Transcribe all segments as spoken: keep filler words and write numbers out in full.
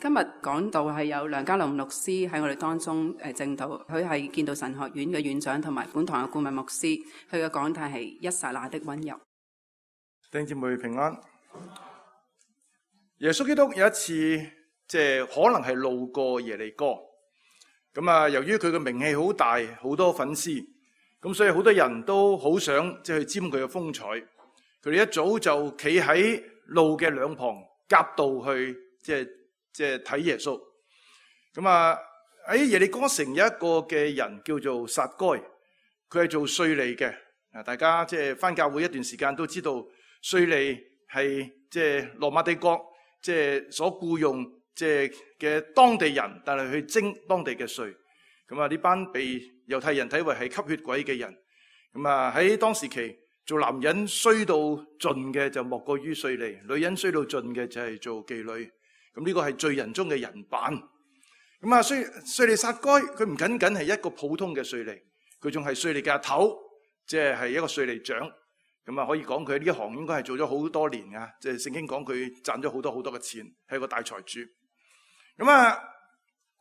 今日講道係有梁家龍牧師喺我哋當中誒證道，佢係建道神學院嘅院長同埋本堂嘅顧問牧師。佢嘅講題係一剎那的溫柔。弟兄姊妹平安。耶穌基督有一次即係可能係路過耶利哥，咁啊由於佢嘅名氣好大，好多粉絲，咁所以好多人都好想即係去沾佢嘅風采。佢哋一早就企喺路嘅兩旁夾道去即係即係睇耶穌。咁啊喺耶利哥城有一個嘅人叫做撒該，佢係做稅吏嘅。啊，大家即係返教會一段時間都知道，稅吏係即係羅馬帝國即係所僱用即係嘅當地人，但係去徵當地嘅稅。咁啊呢班被猶太人睇為係吸血鬼嘅人。咁啊喺當時期，做男人衰到盡嘅就莫過於稅吏，女人衰到盡嘅就係做妓女。咁呢個係罪人中嘅人版。咁啊，稅稅吏撒該佢唔僅僅係一個普通嘅稅吏，佢仲係稅吏嘅阿頭，即係係一個稅吏長。咁啊，可以講佢呢一行應該係做咗好多年啊！即係聖經講佢賺咗好多好多嘅錢，係個大財主。咁啊，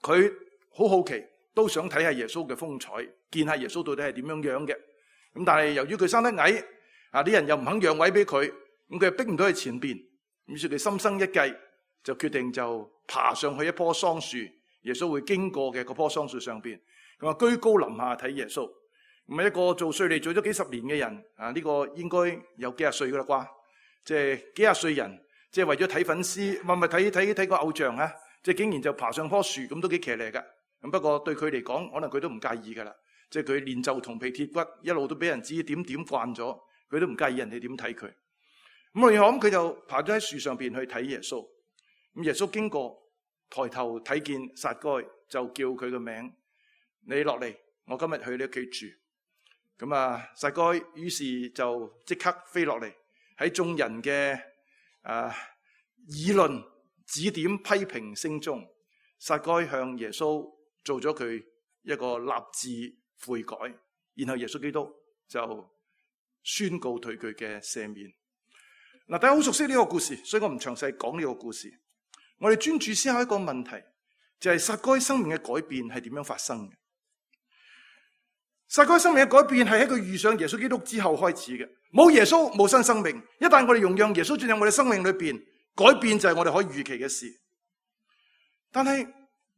佢好好奇，都想睇下耶穌嘅風采，見下耶穌到底係點樣樣嘅。咁但係由於佢生得矮，啊啲人又唔肯讓位俾佢，咁佢又逼唔到佢前邊。於是佢心生一計，就決定就爬上去一棵桑樹，耶穌會經過嘅嗰棵桑樹上邊，咁啊居高臨下睇耶穌。咁啊一個做稅吏做咗幾十年嘅人，啊呢個應該有幾廿歲噶啦啩，即係幾廿歲人，即係為咗睇粉絲，唔係唔係睇睇睇個偶像啊，即係竟然就爬上棵樹，咁都幾騎呢噶。咁不過對佢嚟講，可能佢都唔介意噶啦，即係佢練就銅皮鐵骨，一路都俾人指點點慣咗，佢都唔介意人哋點睇佢。咁然後咁佢就爬咗喺樹上邊去睇耶穌。咁耶穌經過，抬頭睇見撒該，就叫佢個名，你落嚟，我今日去你屋企住。咁啊，撒該於是就即刻飛落嚟，喺眾人嘅啊議論、指點、批評聲中，撒該向耶穌做咗佢一個立志悔改，然後耶穌基督就宣告對佢嘅赦免。嗱，大家好熟悉呢個故事，所以我唔詳細講呢個故事。我哋專注思考一個問題，就係撒該生命嘅改變係點樣發生嘅？撒該生命嘅改變係喺佢遇上耶穌基督之後開始嘅。冇耶穌冇新生命。一旦我哋容讓耶穌進入我哋生命裏邊，改變就係我哋可以預期嘅事。但係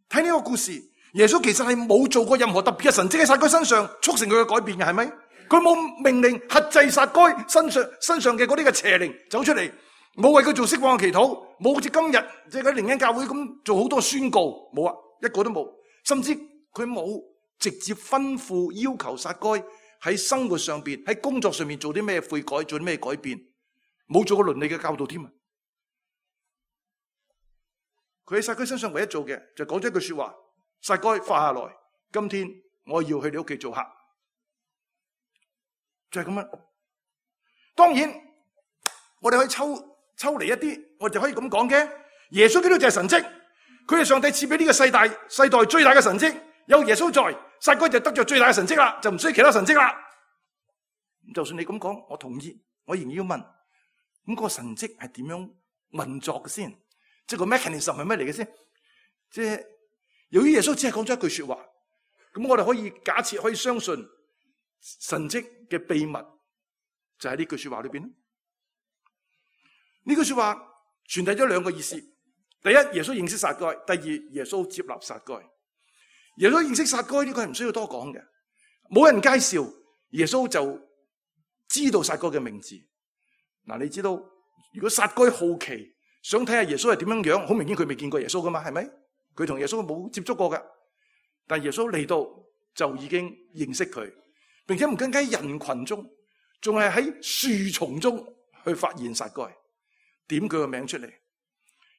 睇呢個故事，耶穌其實係冇做過任何特別嘅神蹟喺撒該身上促成佢嘅改變嘅，係咪？佢冇命令轄制撒該身上身上嘅嗰啲嘅邪靈走出嚟，冇為佢做釋放嘅祈禱，冇好似今日即係嗰啲靈恩教會咁做好多宣告，冇啊，一個都冇。甚至佢冇直接吩咐要求撒該喺生活上邊、喺工作上面做啲咩悔改、做啲咩改變，冇做過倫理嘅教導添啊！佢喺撒該身上唯一做嘅就講咗一句說話：撒該快下來，今天我要去你屋企做客。就係咁樣。當然，我哋可以抽抽離一啲，我哋就可以咁講嘅。耶穌基督就係神蹟，佢係上帝賜俾呢個世代世代最大嘅神蹟。有耶穌在，撒該就得咗最大嘅神蹟啦，就唔需要其他神蹟啦。就算你咁講，我同意，我仍然要問：咁、那個神蹟係點樣運作嘅先？即係個 mechanism 係咩嚟嘅先？即係由於耶穌只係講咗一句說話，咁我哋可以假設可以相信。神蹟嘅秘密就喺呢句說話裏邊。呢句說話傳遞咗兩個意思：第一，耶穌認識撒該；第二，耶穌接納撒該。耶穌認識撒該呢個係唔需要多講嘅，冇人介紹，耶穌就知道撒該嘅名字。嗱，你知道如果撒該好奇想睇下耶穌係點樣樣，好明顯佢未見過耶穌噶嘛，係咪？佢同耶穌冇接觸過噶，但耶穌嚟到就已經認識佢。並且唔僅僅喺人群中，仲係喺樹叢中去發現撒該，點佢個名出嚟。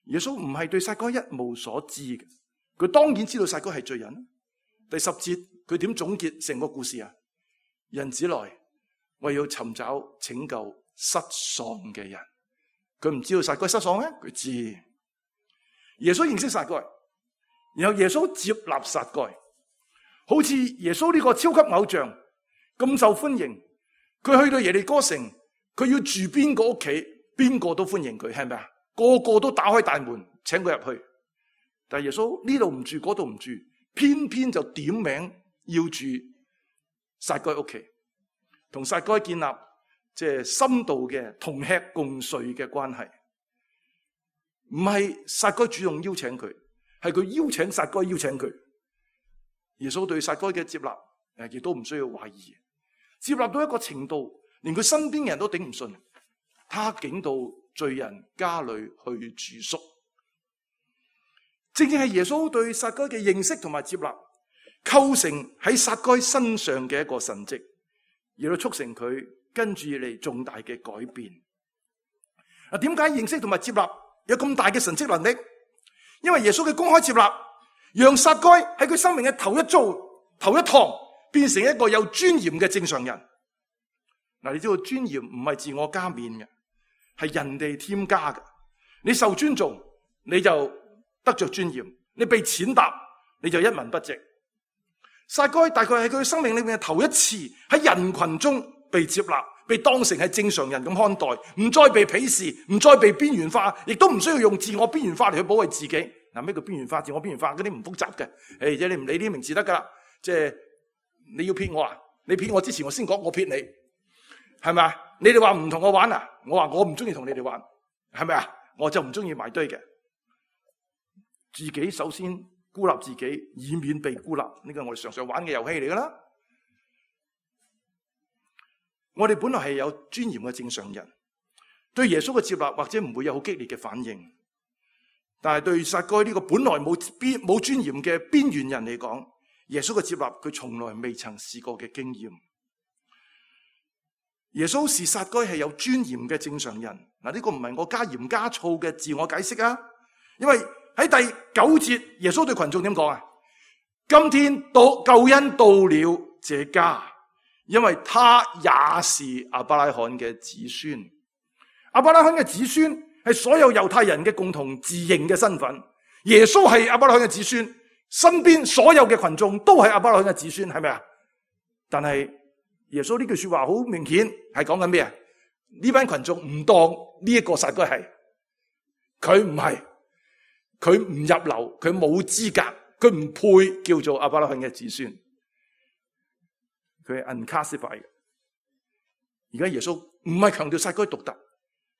耶穌唔係對撒該一無所知嘅，佢當然知道撒該係罪人。第十節佢點總結成個故事啊？人子來為要尋找拯救失喪嘅人。佢唔知道撒該失喪咩？佢知。耶穌認識撒該，然後耶穌接納撒該，好似耶穌呢個超級偶像咁受歡迎，佢去到耶利哥城，佢要住邊個屋企，邊個都歡迎佢，係咪啊？個個都打開大門請佢入去。但係耶穌呢度唔住，嗰度唔住，偏偏就點名要住撒該屋企，同撒該建立即係深度嘅同吃共睡嘅關係。唔係撒該主動邀請佢，係佢邀請撒該邀請佢。耶穌對撒該嘅接納誒，亦都唔需要懷疑，接納到一個程度，連佢身邊嘅人都頂唔順，他竟到罪人家裏去住宿。正正係耶穌對撒該嘅認識同埋接納，構成喺撒該身上嘅一個神蹟，而到促成佢跟住嚟重大嘅改變。啊，點解認識同埋接納有咁大嘅神蹟能力？因為耶穌嘅公開接納，讓撒該喺佢生命嘅頭一遭、頭一趟，變成一個有尊嚴嘅正常人。嗱，你知道尊嚴唔係自我加冕嘅，係人哋添加嘅。你受尊重，你就得着尊嚴；你被踐踏，你就一文不值。撒該大概係佢生命裏面嘅頭一次喺人群中被接納，被當成係正常人咁看待，唔再被鄙視，唔再被邊緣化，亦都唔需要用自我邊緣化嚟去保衛自己。嗱，咩叫邊緣化、自我邊緣化嗰啲唔複雜嘅，誒，即係你唔理呢啲名詞得噶啦。即係你要騙我啊？你騙我之前，我先講我騙你，係咪啊？你哋話唔同我玩啊？我話我唔中意同你哋玩，係咪啊？我就唔中意埋堆嘅。自己首先孤立自己，以免被孤立，呢個係我哋常常玩嘅遊戲嚟噶啦。我哋本來係有尊嚴嘅正常人，對耶穌嘅接納或者唔會有好激烈嘅反應，但係對撒該呢個本來冇邊冇尊嚴嘅邊緣人嚟講，耶穌嘅接納佢從來未曾試過嘅經驗。耶穌視撒該係有尊嚴嘅正常人。嗱，呢個唔係我加鹽加醋嘅自我解釋啊，因為喺第九節，耶穌對群眾點講啊？今天到救恩到了這家，因為他也是亞伯拉罕嘅子孫。亞伯拉罕嘅子孫係所有猶太人嘅共同自認嘅身份。耶穌係亞伯拉罕嘅子孫，身邊所有嘅群眾都係亞伯拉罕嘅子孫，係咪啊？但係耶穌呢句說話好明顯係講緊咩啊？呢班群眾唔當呢一個撒該係，佢唔係。佢唔入流，佢冇資格，佢唔配叫做亞伯拉罕嘅子孫，佢係 unclassified 嘅。而家耶穌唔係強調撒該獨特，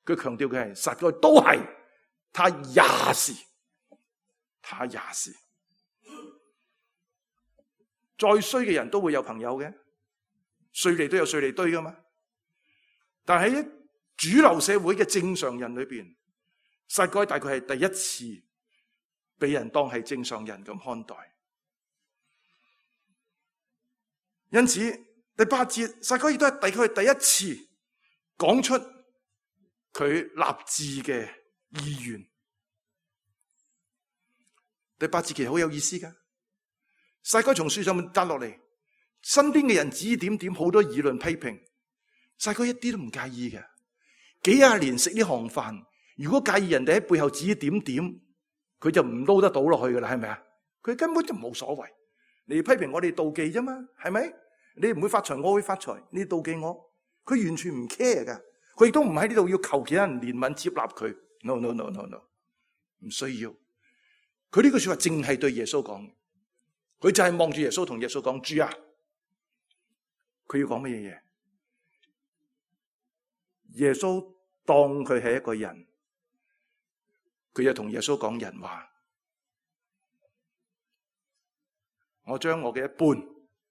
佢強調嘅係撒該都係，他也是，他也是。再衰嘅人都會有朋友嘅，稅吏都有稅吏堆噶嘛。但係喺主流社會嘅正常人裏邊，撒該大概係第一次被人當係正常人咁看待。因此第八節，撒該亦都係大概係第一次講出佢立志嘅意願。第八節其實好有意思噶，撒該從樹上面跌落嚟，身邊嘅人指點點，好多議論批評，撒該一啲都唔介意嘅。幾廿年食呢行飯，如果介意人哋喺背後指點點，佢就唔撈得到落去噶啦，係咪啊？佢根本就冇所謂。你批評我哋妒忌啫嘛，係咪？你唔會發財，我會發財，你妒忌我，佢完全唔 care 噶。佢亦都唔喺呢度要求其他人憐憫接納佢。No no no no no， 唔需要。佢呢句說話淨係對耶穌講，佢就係望住耶穌同耶穌講：主啊！佢要講乜嘢嘢？耶穌當佢係一個人。佢就同耶穌講人話，我將我嘅一半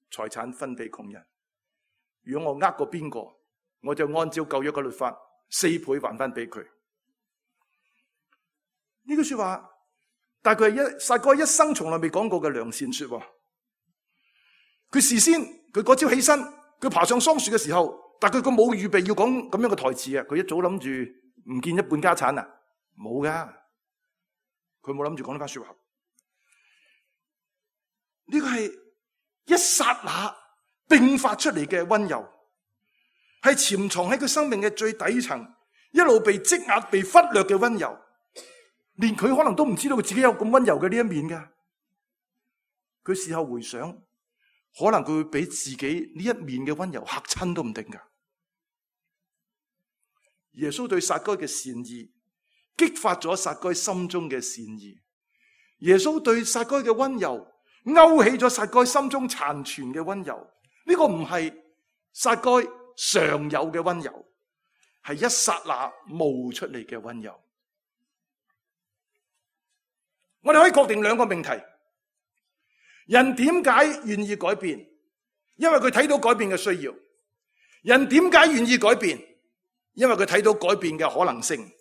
財產分俾窮人。如果我呃過邊個，我就按照舊約嘅律法四倍還翻俾佢。呢句說話，但係佢係一撒該一生從來未講過嘅良善說話。佢事先佢嗰朝起身，佢爬上桑樹嘅時候，但係佢冇預備要講咁樣嘅台詞啊！佢一早諗住唔見一半家產啊，冇噶。佢冇諗住講呢番說話，呢個係一剎那迸發出嚟嘅溫柔，係潛藏喺佢生命嘅最底層，一路被積壓、被忽略嘅溫柔，連佢可能都唔知道佢自己有咁溫柔嘅呢一面㗎。佢事後回想，可能佢會俾自己呢一面嘅溫柔嚇親都唔定㗎。耶穌對撒該嘅善意，激發咗撒該心中嘅善意，耶穌對撒該嘅溫柔，勾起咗撒該心中殘存嘅溫柔。呢個唔係撒該常有嘅溫柔，係一剎那冒出嚟嘅溫柔。我哋可以確定兩個命題：人點解願意改變？因為佢睇到改變嘅需要。人點解願意改變？因為佢睇到改變嘅可能性。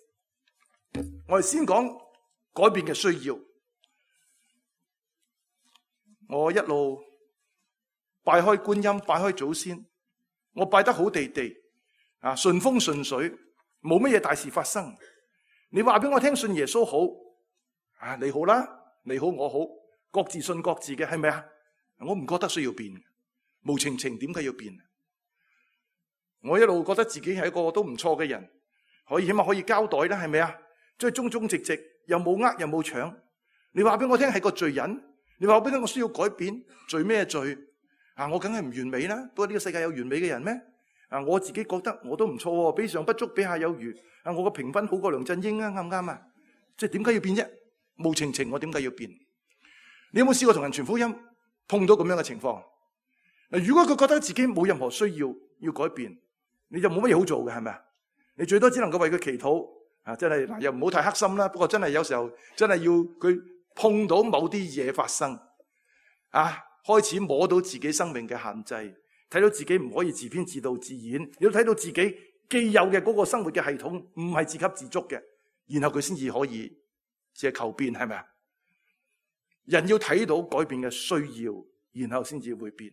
我哋先講改變嘅需要。我一路拜開觀音，拜開祖先，我拜得好地地，啊，順風順水，冇乜嘢大事發生。你話俾我聽，信耶穌好，啊，你好啦，你好我好，各自信各自嘅，係咪啊？我唔覺得需要變，無情情點解要變？我一路覺得自己係一個都唔錯嘅人，可以起碼可以交代啦，係咪啊？即係忠忠直直，又冇呃又冇搶。你話俾我聽係個罪人，你話俾我聽我需要改變，罪咩罪？啊，我梗係唔完美啦。不過呢個世界有完美嘅人咩？啊，我自己覺得我都唔錯，比上不足，比下有餘。啊，我個評分好過梁振英啊，啱唔啱啊？即係點解要變啫？無情情，我點解要變？你有冇試過同人傳福音，碰到咁樣嘅情況？嗱，如果佢覺得自己冇任何需要要改變，你就冇乜嘢好做嘅，係咪啊？你最多只能夠為佢祈禱啊！真係嗱，又唔好太黑心啦。不過真係有時候真係要佢碰到某啲嘢發生啊，開始摸到自己生命嘅限制，睇到自己唔可以自編自導自演，亦都睇到自己既有嘅嗰個生活嘅系統唔係自給自足嘅，然後佢先至可以借求變，係咪啊？人要睇到改變嘅需要，然後先至會變。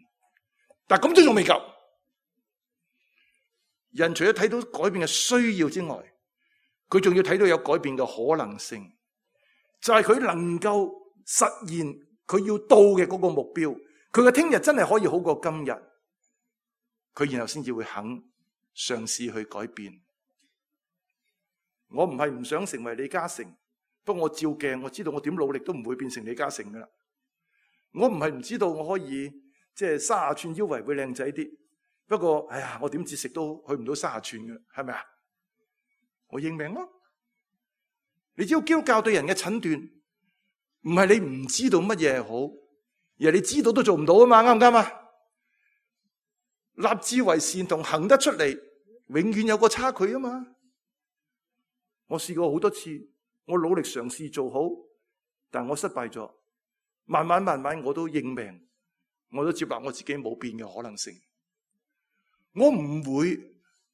但咁都仲未夠。人除咗睇到改變嘅需要之外，佢仲要睇到有改變嘅可能性，就係佢能夠實現佢要到嘅嗰個目標。佢嘅聽日真係可以好過今日，佢然後先至會肯嘗試去改變。我唔係唔想成為李嘉誠，不過我照鏡，我知道我點努力都唔會變成李嘉誠噶啦。我唔係唔知道我可以即係三十寸腰圍會靚仔啲。不過，哎呀，我點節食都去唔到三十寸嘅，係咪啊？我認命咯。你知道基督教對人嘅診斷，唔係你唔知道乜嘢係好，而係你知道都做唔到啊嘛，啱唔啱啊？立志為善同行得出嚟，永遠有個差距啊嘛。我試過好多次，我努力嘗試做好，但我失敗咗。慢慢慢慢，我都認命，我都接納我自己冇變嘅可能性。我唔會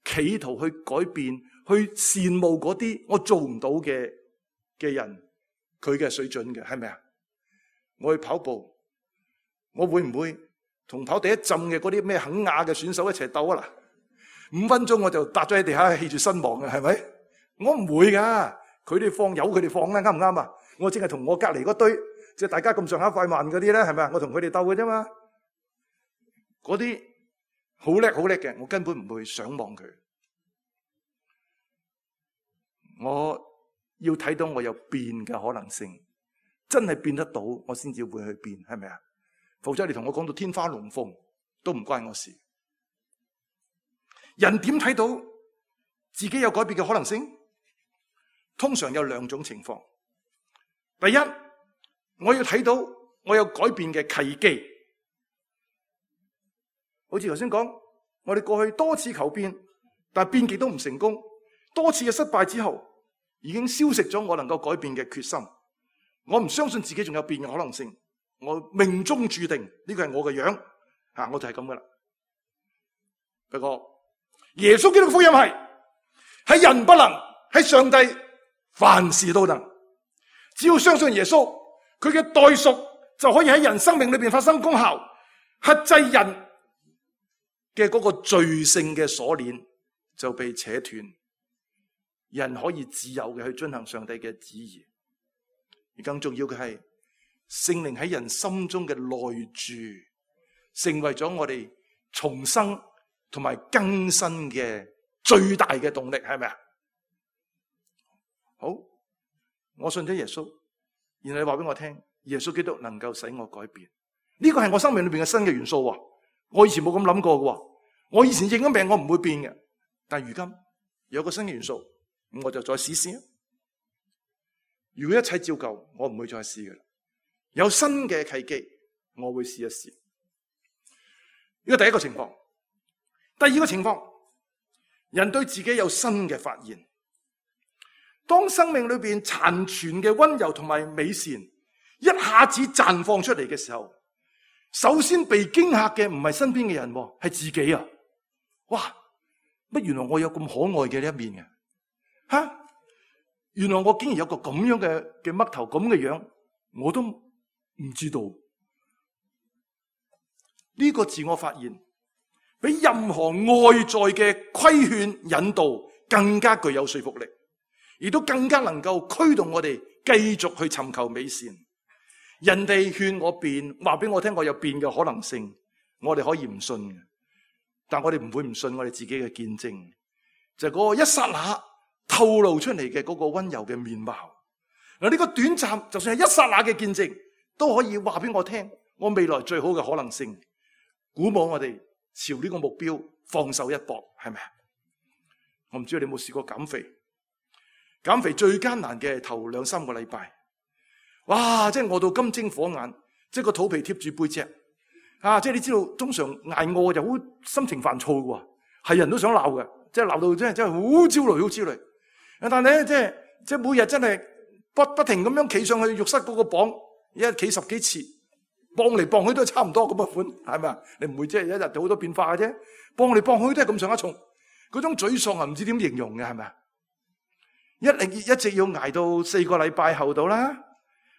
企圖去改變，去羨慕嗰啲我做唔到嘅嘅人，佢嘅水準嘅，係咪啊？我去跑步，我會唔會同跑第一浸嘅嗰啲咩肯亞嘅選手一齊鬥啊？嗱，五分鐘我就搭咗喺地下氣絕身亡嘅，係咪？我唔會噶，佢哋放有佢哋放啦，啱唔啱啊？我淨係同我隔籬嗰堆，即係大家咁上下快慢嗰啲咧，係咪啊？我同佢哋鬥嘅啫嘛，嗰啲。好叻好叻嘅，我根本唔會想望佢。我要睇到我有變嘅可能性，真係變得到，我先至會去變，係咪啊？否則你同我講到天花龍鳳，都唔關我事。人點睇到自己有改變嘅可能性？通常有兩種情況。第一，我要睇到我有改變嘅契機。好似頭先講，我哋過去多次求變，但係變極都唔成功。多次嘅失敗之後，已經消蝕咗我能夠改變嘅決心。我唔相信自己仲有變嘅可能性。我命中注定呢個係我嘅樣，吓，我就係咁噶啦。不過耶穌基督嘅福音係係人不能，係上帝凡事都能。只要相信耶穌，佢嘅代贖就可以喺人生命裏邊發生功效，克制人嘅嗰個罪性嘅鎖鏈就被扯斷，人可以自由嘅去遵行上帝嘅旨意。而更重要嘅係聖靈喺人心中嘅內住，成為咗我哋重生同埋更新嘅最大嘅動力，係咪啊？好，我信咗耶穌，然後你話俾我聽，耶穌基督能夠使我改變，呢個係我生命裏邊嘅新嘅元素。我以前冇咁諗過嘅，我以前認咗命我唔會變嘅，但係如今有個新嘅元素，咁我就再試試。如果一切照舊，我唔會再試嘅啦。有新嘅契機，我會試一試。呢個第一個情況。第二個情況，人對自己有新嘅發現。當生命裏邊殘存嘅溫柔同埋美善一下子綻放出嚟嘅時候，首先被驚嚇嘅唔係身邊嘅人，係自己啊！哇，乜原來我有咁可愛嘅呢一面嘅？吓，原來我竟然有個咁樣嘅嘅嘜頭咁嘅樣，我都唔知道。呢個自我發現比任何外在嘅規勸引導更加具有說服力，亦都更加能夠驅動我哋繼續去尋求美善。人哋勸我變，話俾我聽我有變嘅可能性，我哋可以唔信嘅，但我哋唔會唔信我哋自己嘅見證，就係嗰個一剎那透露出嚟嘅嗰個溫柔嘅面貌。嗱，呢個短暫就算係一剎那嘅見證，都可以話俾我聽我未來最好嘅可能性，鼓舞我哋朝呢個目標放手一搏，係咪啊？我唔知道你有冇試過減肥，減肥最艱難嘅係頭兩三個禮拜，哇！即係餓到金睛火眼，即係個肚皮貼住背脊，啊！即係你知道，通常挨餓就好心情煩躁嘅，係人都想鬧嘅，即係鬧到真係真係好焦慮，好焦慮。但係咧，即係即係每日真係不不停咁樣企上去浴室嗰個磅，一企十幾次，磅嚟磅去都係差唔多咁嘅款，係咪啊？你唔會即係一日有好多變化嘅啫，磅嚟磅去都係咁上下重，嗰種沮喪啊，唔知點形容嘅，係咪啊？一零一直要挨到四個禮拜後到啦。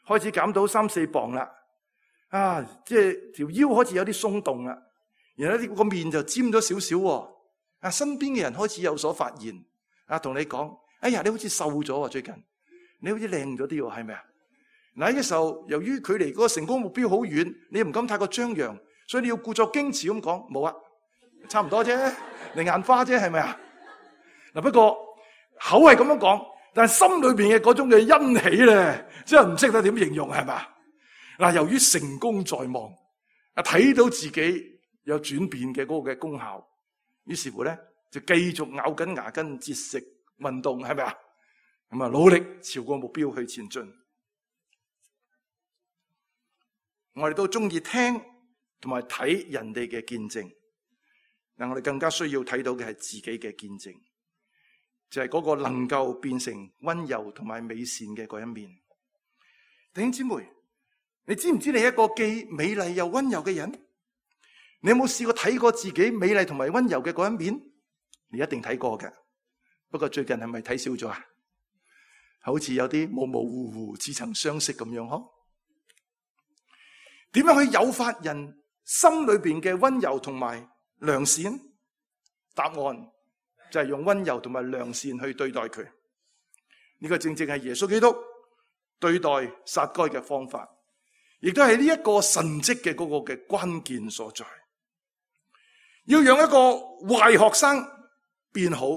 開始減到三四磅啦，啊，即係條腰開始有啲鬆動啦，然後呢個面就尖咗少少，啊，身邊嘅人開始有所發現，啊，同你講，哎呀，你好似瘦咗啊，最近，你好似靚咗啲，係咪啊？嗱，呢個時候由於距離嗰個成功目標好遠，你又唔敢太過張揚，所以你要故作矜持咁講，冇啊，差唔多啫，你眼花啫，係咪啊？嗱，不過口係咁樣講。但係心裏邊嘅嗰種嘅欣喜咧，真係唔識得點形容，係嘛？嗱，由於成功在望，啊，睇到自己有轉變嘅嗰個嘅功效，於是乎咧就繼續咬緊牙根節食運動，係咪啊？咁啊，努力朝個目標去前進。我哋都中意聽同埋睇人哋嘅見證，但我哋更加需要睇到嘅係自己嘅見證。就係嗰個能夠變成溫柔同埋美善嘅嗰一面。弟兄姊妹，你知唔知你係一個既美麗又溫柔嘅人？你有冇試過睇過自己美麗同埋溫柔嘅嗰一面？你一定睇過嘅，不過最近係咪睇少咗啊？好似有啲模模糊糊、似曾相識咁樣嗬？點樣去誘發人心裏邊嘅溫柔同埋良善？答案就係用溫柔同埋良善去對待佢，呢個正正係耶穌基督對待撒該嘅方法，亦都係呢一個神蹟嘅嗰個嘅關鍵所在。要讓一個壞學生變好，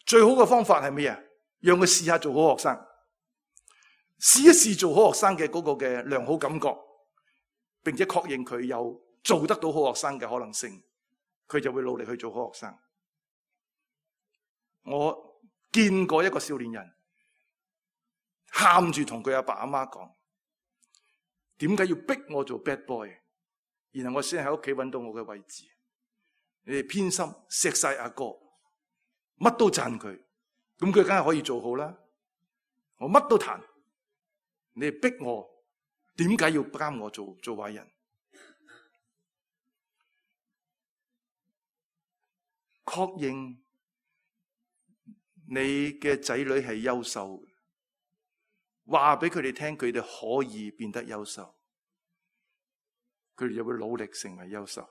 最好嘅方法係咩啊？讓佢試下做好學生，試一試做好學生嘅嗰個嘅良好感覺，並且確認佢有做得到好學生嘅可能性，佢就會努力去做好學生。我見過一個少年人喊住同佢阿爸阿媽講，點解要逼我做 bad boy？ 然後我先喺屋企揾到我嘅位置。你哋偏心錫晒阿哥，乜都讚佢，咁佢梗係可以做好啦。我乜都彈，你哋逼我，點解要監我做做壞人？確認你嘅仔女係優秀，話俾佢哋聽，佢哋可以變得優秀，佢哋就會努力成為優秀。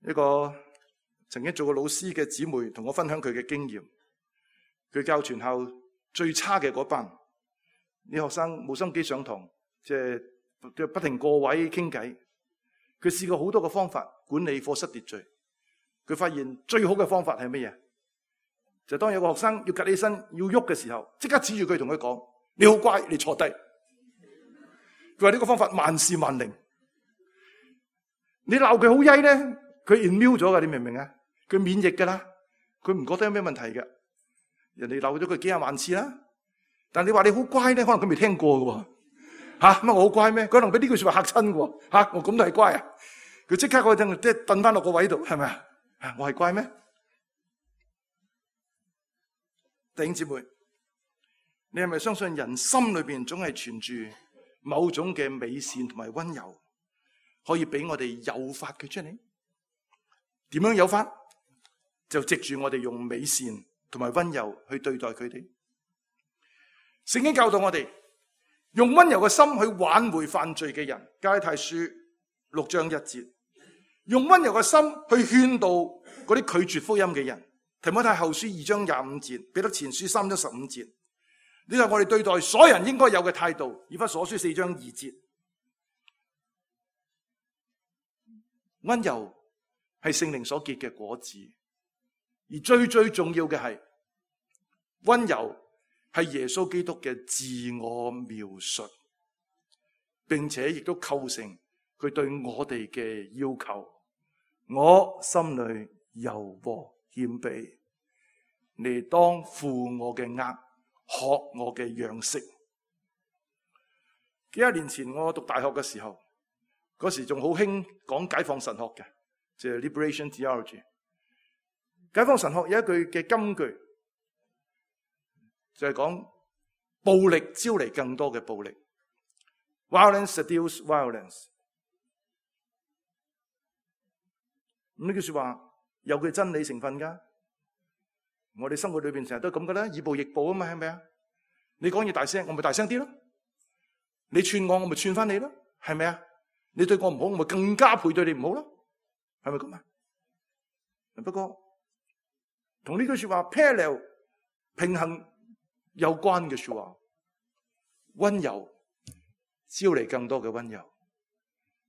一個曾經做過老師嘅姊妹同我分享佢嘅經驗，佢教全校最差嘅嗰班，啲學生冇心機上堂，即係不停過位傾偈。佢試過好多個方法管理課室秩序，佢發現最好嘅方法係乜嘢？就當有個學生要趷起身要喐嘅時候，即刻指住佢同佢講：你好乖，你坐低。佢話呢個方法萬事萬靈。你鬧佢好曳咧，佢 immune 咗噶，你明唔明啊？佢免疫噶啦，佢唔覺得有咩問題嘅。人哋鬧咗佢幾廿萬次啦。但你話你好乖咧，可能佢未聽過嘅喎。吓，乜我好乖咩？佢可能俾呢句說話嚇親嘅喎。吓，我咁都係乖啊？佢即刻嗰陣即係掟翻落個位度，係咪啊？我係乖咩？弟兄姊妹，你係咪相信人心裏邊總係存住某種嘅美善同埋溫柔，可以俾我哋誘發佢出嚟？點樣誘發？就藉住我哋用美善同埋溫柔去對待佢哋。聖經教導我哋用溫柔嘅心去挽回犯罪嘅人。加拉太書六章一節，用溫柔嘅心去勸導嗰啲拒絕福音嘅人。提摩太後書二章廿五節，彼得前書三章十五節，呢個係我哋對待所有人應該有嘅態度。以弗所書四章二節，溫柔係聖靈所結嘅果子，而最最重要嘅係溫柔係耶穌基督嘅自我描述，並且亦都構成佢對我哋嘅要求。我心裏柔和謙卑，你當負我嘅軛，學我嘅樣式。幾廿年前我讀大學嘅時候，嗰時仲好興講解放神學嘅，即係 Liberation Theology。解放神學有一句嘅金句，就係講暴力招嚟更多嘅暴力。Violence seduces violence。咁呢句說話有佢真理成分噶。我哋生活裏邊成日都咁噶啦，以暴易暴啊嘛，係咪啊？你講嘢大聲，我咪大聲啲咯；你串我，我咪串翻你咯，係咪啊？你對我唔好，我咪更加倍對你唔好咯，係咪咁啊？不過同呢句說話 parallel 平衡有關嘅說話，溫柔招嚟更多嘅溫柔，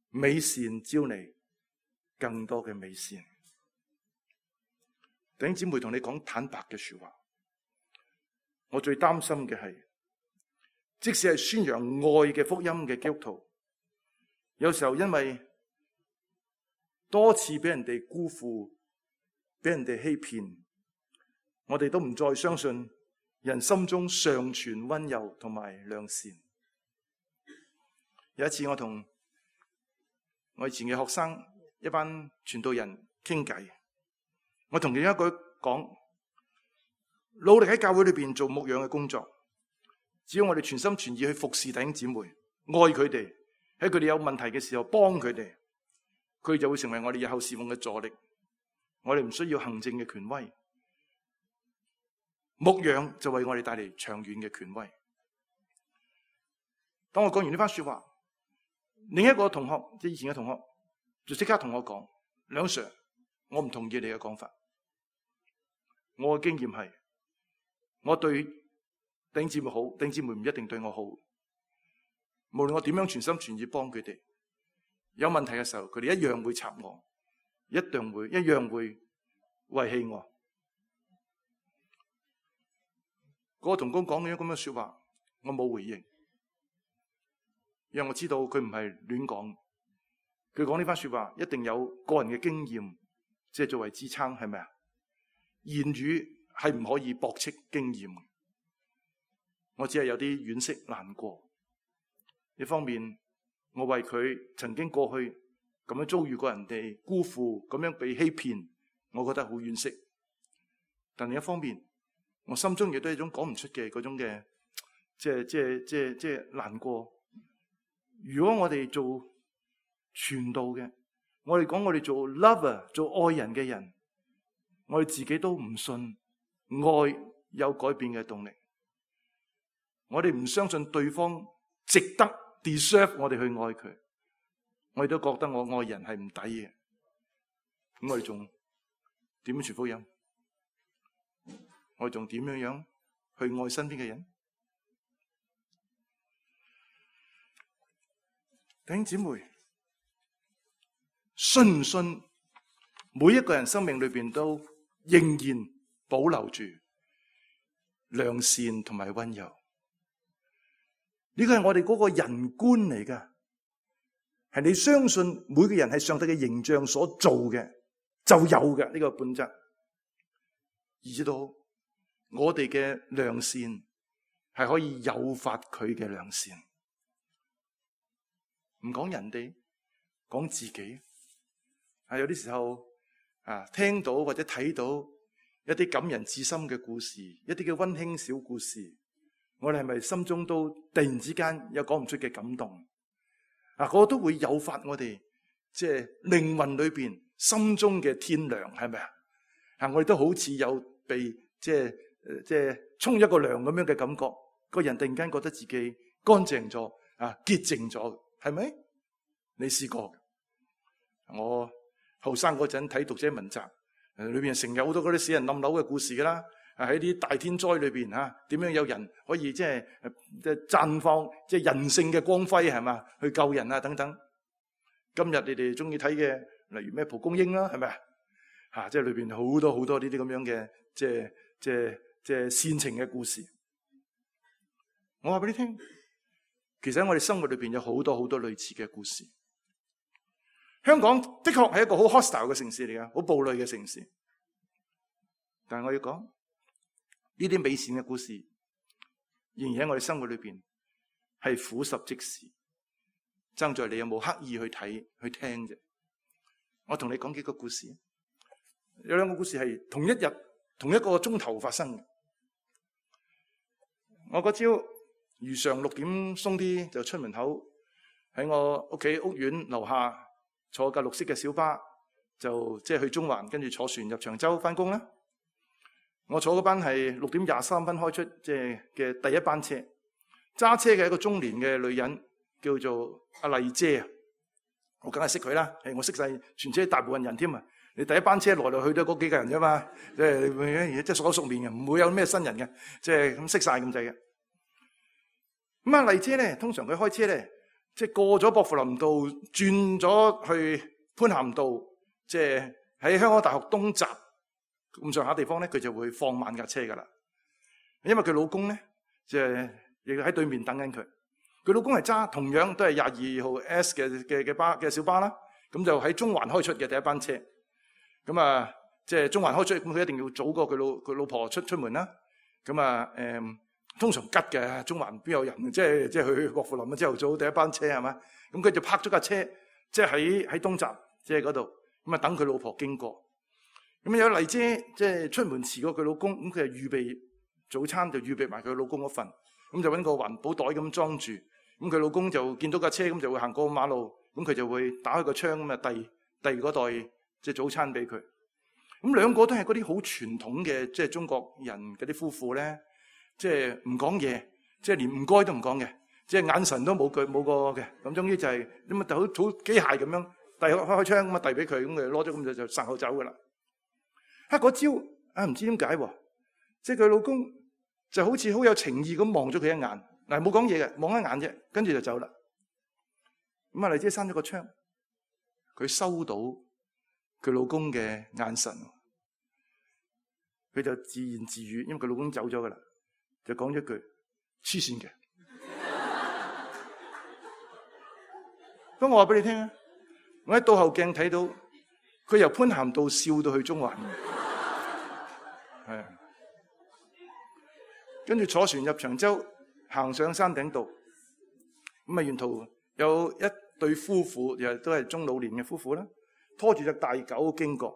美善招嚟更多嘅美善。弟兄姊妹，同你講坦白嘅說話，我最擔心嘅係，即使係宣揚愛嘅福音嘅基督徒，有時候因為多次俾人哋辜負，俾人哋欺騙，我哋都唔再相信人心中尚存溫柔同埋良善。有一次我同我以前嘅學生一班傳道人傾偈，我同其中一個講，努力喺教會裏邊做牧養嘅工作，只要我哋全心全意去服侍弟兄姊妹，愛佢哋，喺佢哋有問題嘅時候幫佢哋，佢就會成為我哋日後侍奉嘅助力。我哋唔需要行政嘅權威，牧養就為我哋帶嚟長遠嘅權威。當我講完呢番說話，另一個同學，即係以前嘅同學，就即刻同我講，梁 Sir， 我唔同意你嘅講法。我嘅經驗係，我對弟兄姊妹好，弟兄姊妹唔一定對我好。無論我點樣全心全意幫佢哋，有問題嘅時候，佢哋一樣會插我，一樣會一樣會遺棄我。嗰個同工講咗咁嘅說話，我冇回應，因為我知道佢唔係亂講。佢講呢番說話一定有個人嘅經驗，即係作為支撐，係咪啊？言語係唔可以駁斥經驗。我只係有啲惋惜難過。一方面，我為佢曾經過去咁樣遭遇過人哋辜負，咁樣被欺騙，我覺得好惋惜。但另一方面，我心中亦都係一種講唔出嘅嗰種嘅，即係即係即係即係難過。如果我哋做傳道嘅，我哋講我哋做 lover 做愛人嘅人，我哋自己都唔信愛有改變嘅動力，我哋唔相信對方值得 deserve 我哋去愛佢，我哋都覺得我愛人係唔抵嘅，咁我哋仲點樣傳福音？我哋仲點樣樣去愛身邊嘅人？弟兄姊妹，信唔信每一個人生命裏邊都仍然保留住良善同埋溫柔？呢個係我哋嗰個人觀嚟㗎，係你相信每個人係上帝嘅形象所做嘅，就有嘅呢個本質。而知道我哋嘅良善係可以誘發佢嘅良善。唔講人哋，講自己。啊，有啲時候啊，聽到或者睇到一啲感人至深嘅故事，一啲嘅溫馨小故事，我哋係咪心中都突然之間有講唔出嘅感動？啊，嗰個都會誘發我哋即係靈魂裏邊心中嘅天良，係咪啊？啊，我哋都好似有被即係即係沖一個涼咁樣嘅感覺，個人突然間覺得自己乾淨咗，啊，潔淨咗，係咪？你試過？我後生嗰陣睇讀者文集，誒，裏邊成日好多嗰啲死人冧樓嘅故事噶啦，啊，喺啲大天災裏邊吓，點樣有人可以即係即係綻放即係人性嘅光輝，係嘛，去救人啊等等。今日你哋中意睇嘅，例如咩蒲公英啦，係咪啊？吓，即係裏邊好多好多呢啲咁樣嘅即係即係即係煽情嘅故事。我話俾你聽，其實喺我哋生活裏邊有好多好多類似嘅故事。香港的確係一個好 hostile 嘅城市嚟㗎，好暴戾嘅城市。但係我要講呢啲美善嘅故事，仍然喺我哋生活裏邊係俯拾即是，爭在你有冇刻意去睇去聽啫。我同你講幾個故事，有兩個故事係同一日同一個鐘頭發生嘅。我嗰朝如常六點鬆啲就出門口，喺我屋企屋苑樓下坐架綠色嘅小巴，就即係去中環，跟住坐船入長洲翻工啦。我坐嗰班係六點廿三分開出，即係嘅第一班車。揸車嘅一個中年嘅女人叫做阿麗姐啊，我梗係識佢啦。誒，我識晒全車大部分人添啊。你第一班車來來去都嗰幾個人啫嘛，即係即係熟口熟面嘅，唔會有咩新人嘅，即係咁識晒咁滯嘅。咁啊，麗姐咧，通常佢開車咧，即係過咗薄扶林道，轉咗去潘咸道，即係喺香港大學東閘咁上下地方咧，佢就會放慢架車噶啦。因為佢老公咧，即係亦喺對面等緊佢。佢老公係揸同樣都係廿二號 S 嘅嘅嘅巴嘅小巴啦。咁就喺中環開出嘅第一班車。咁啊，即係中環開出，咁佢一定要早過佢老佢老婆出出門啦。咁啊，誒。通常吉嘅，中環邊有人？即係即係去薄扶林啊！朝頭早第一班車係嘛？咁佢就泊咗架車，即係喺喺東閘，即係嗰度咁啊，等佢老婆經過。咁有麗姐即係出門遲過佢老公，咁佢就預備早餐，就預備埋佢老公嗰份，咁就揾個環保袋咁裝住。咁佢老公就見到架車，咁就會行過馬路，咁佢就會打開個窗咁啊，遞遞嗰袋即係早餐俾佢。咁兩個都係嗰啲好傳統嘅，即係中國人嗰啲夫婦咧。即係唔講嘢，即係連唔該都唔講嘅，即係眼神都冇句冇個嘅。咁終於就係咁啊，好好機械咁樣遞開開窗咁啊，遞俾佢，咁佢攞咗咁就就殺口走噶啦。啊，嗰朝啊唔知點解喎，即係佢老公就好似好有情意咁望咗佢一眼，嗱冇講嘢嘅，望一眼啫，跟住就走啦。咁啊，麗姐閂咗個窗，佢收到佢老公嘅眼神，佢就自言自語，因為佢老公走咗噶啦。就講咗句黐線嘅，咁我話俾你聽啊！我喺倒後鏡睇到佢由潘咸道笑到去中環，係啊，跟住坐船入長洲，行上山頂道，咁啊沿途有一對夫婦，又都係中老年嘅夫婦啦，拖住隻大狗經過，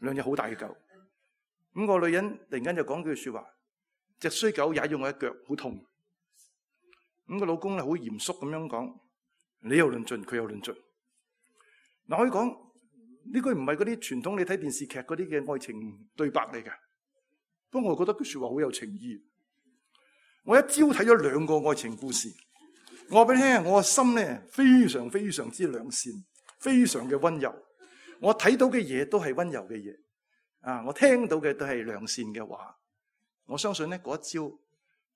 兩隻好大嘅狗。咁個女人突然間就講句說話。隻衰狗踩咗我一腳，好痛。咁個老公咧好嚴肅咁樣講：你又論盡，佢又論盡。嗱，可以講呢句唔係嗰啲傳統你睇電視劇嗰啲嘅愛情對白嚟嘅。不過我覺得句說話好有情意。我一朝睇咗兩個愛情故事，我話俾你聽，我個心咧非常非常之良善，非常嘅溫柔。我睇到嘅嘢都係溫柔嘅嘢，啊，我聽到嘅都係良善嘅話。我相信咧，嗰一朝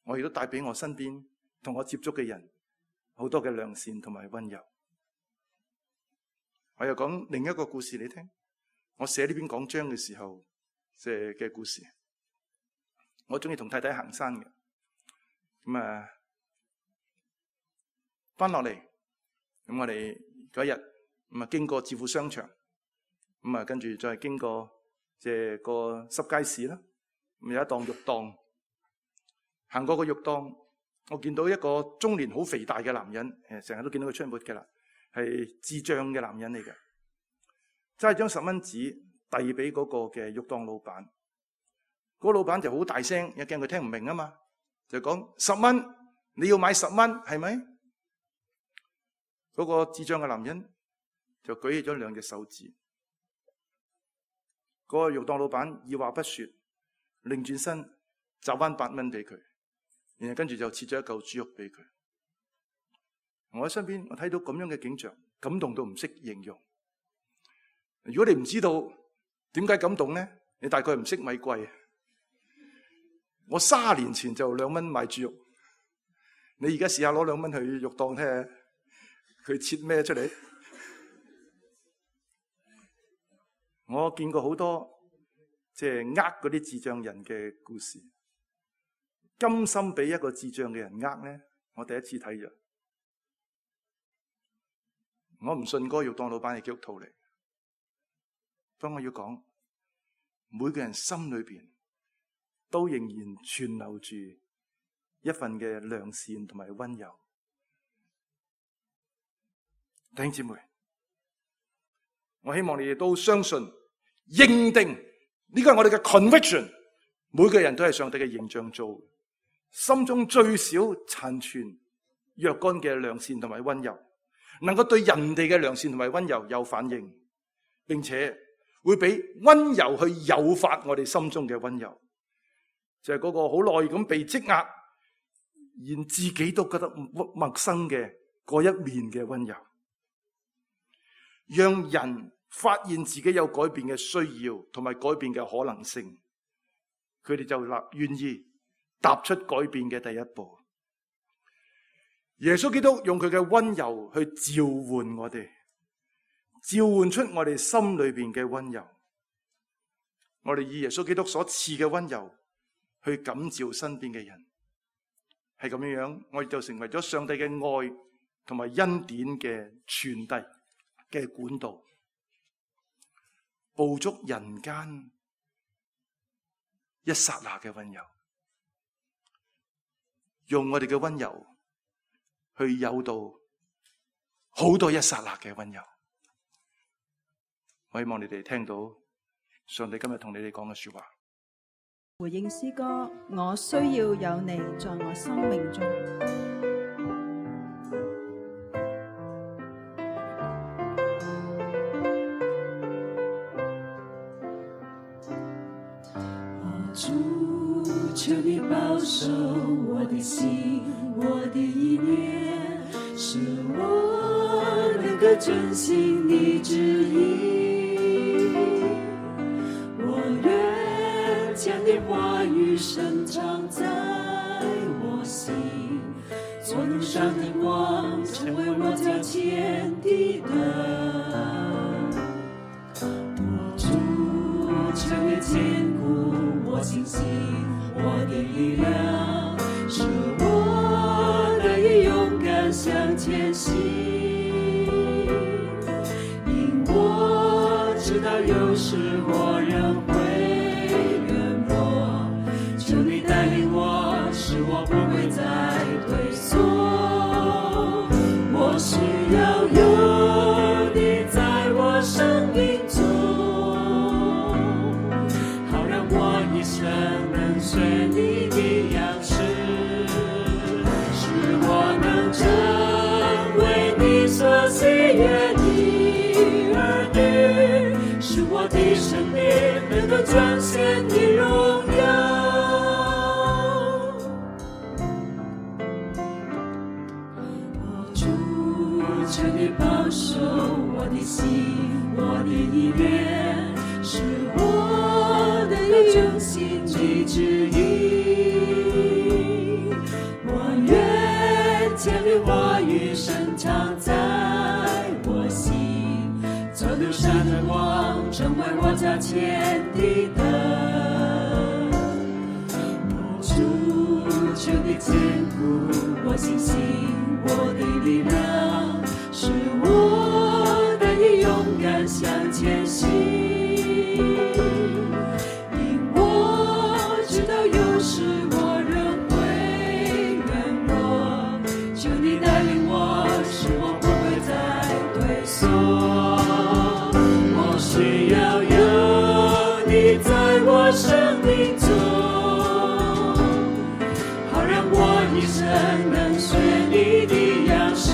我亦都帶俾我身邊同我接觸嘅人好多嘅良善同埋溫柔。我又講另一個故事你聽。我寫呢篇講章嘅時候寫嘅故事。我中意同太太行山嘅，咁啊翻落嚟，咁我哋嗰日咁啊經過置富商場，咁啊跟住再經過即係個濕街市啦。有一檔肉檔，行過個肉檔，我見到一個中年好肥大嘅男人，誒，成日都見到佢出沒嘅啦，係智障嘅男人嚟嘅，揸張十蚊紙遞俾嗰個嘅肉檔老闆，嗰個老闆就好大聲，又驚佢聽唔明啊嘛，就講十蚊，你要買十蚊係咪？嗰個智障嘅男人就舉起咗兩隻手指，嗰個肉檔老闆二話不說，擰轉身找翻八蚊俾佢，然後跟住就切咗一嚿豬肉俾佢。我喺身邊，我睇到咁樣嘅景象，感動到唔識形容。如果你唔知道點解感動咧，你大概唔識米貴。我卅年前就兩蚊買豬肉，你而家試下攞兩蚊去肉檔睇下，佢切咩出嚟？我見過好多即係呃嗰啲智障人嘅故事，甘心俾一個智障嘅人呃咧，我第一次睇咗。我唔信嗰個肉檔老闆係基督徒嚟，不過我要講，每個人心裏邊都仍然存留住一份嘅良善同埋溫柔。弟兄姊妹，我希望你哋都相信、認定呢個係我哋嘅 conviction， 每個人都係上帝嘅形象做，心中最少殘存若干嘅良善同埋溫柔，能夠對人哋嘅良善同埋溫柔有反應，並且會俾溫柔去誘發我哋心中嘅溫柔，就係嗰個好耐咁被積壓，連自己都覺得陌生嘅嗰一面嘅溫柔，讓人發現自己有改變嘅需要同埋改變嘅可能性，佢哋就立願意踏出改變嘅第一步。耶穌基督用佢嘅溫柔去召喚我哋，召喚出我哋心裏邊嘅溫柔。我哋以耶穌基督所賜嘅溫柔去感召身邊嘅人，係咁樣樣，我哋就成為咗上帝嘅愛同埋恩典嘅傳遞嘅管道，捕捉人間一剎那嘅溫柔，用我哋嘅溫柔去誘導好多一剎那嘅溫柔。我希望你哋聽到上帝今日同你哋講嘅說話。回應詩歌，我需要有你在我生命中。主，求你保守我的心，我的意念，使我能夠遵行你旨意。我願將你話語深藏在我心，作路上的光，成為我腳前的燈。主，求你堅固我信心，我的力量，使我得以勇敢向前行。因我知道有時我仍會軟弱，求你帶領我，使我不會再退縮。我需要有你在我生命中，好讓我一生能隨你的樣式，使我能成為你所喜悅的兒女，使我的生命能夠彰顯你榮耀。主，求你保守我的心，我的意念，使我能夠遵行你旨意。我願將你話語深藏在我心，作路上的光，成為我腳前的燈。主，求你堅固我信心，我的力量，使我得以勇敢向前行。因我知一生能學你的樣式，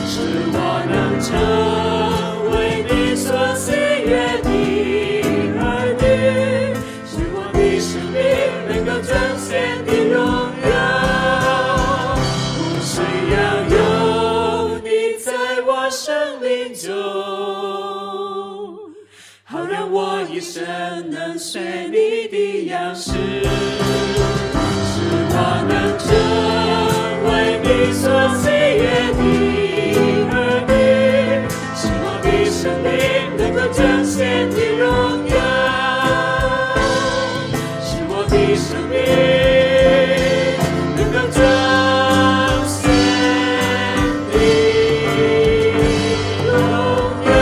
使我能成為你所喜悅的兒女，使我的生命能夠彰顯你榮耀。我需要有你在我生命中，好讓我一生能學你的樣式，使我能成為你所喜悅的兒女，使我的生命能夠彰顯你榮耀，使我的生命能夠彰顯你榮耀。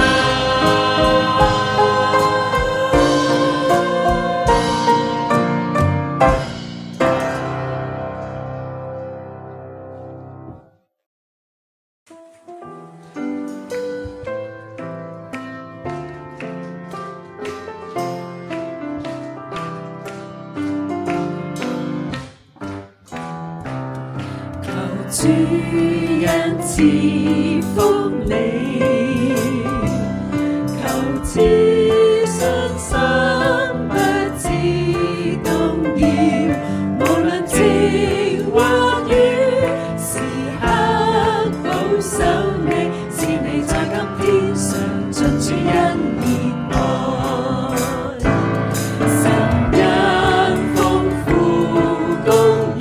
主人賜福你，求自信心不致動搖，無論晴或雨，時刻保守你，是你在今天上進主恩典愛，神恩豐富公義。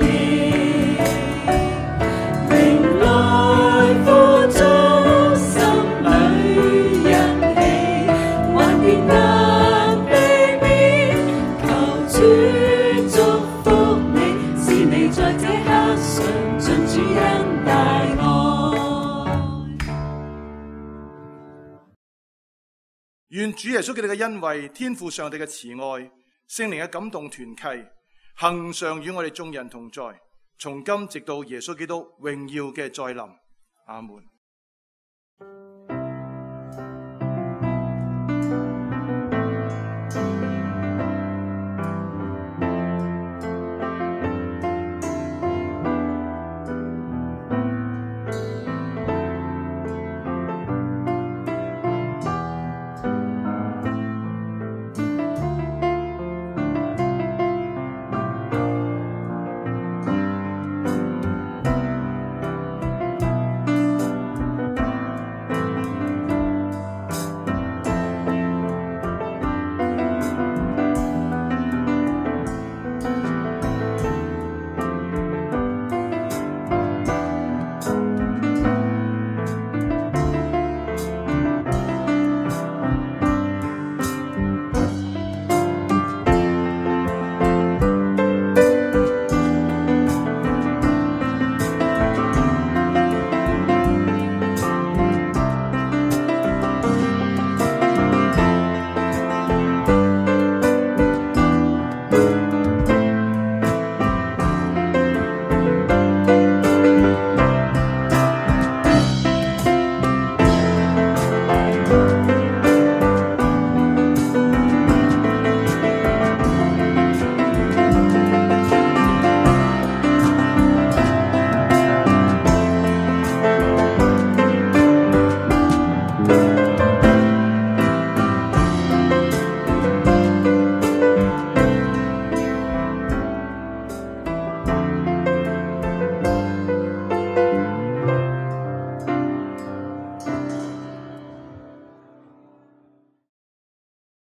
願主耶穌基督嘅恩惠、天父上帝嘅慈愛、聖靈嘅感動團契，恆常與我哋眾人同在，從今直到耶穌基督榮耀嘅再臨。阿門。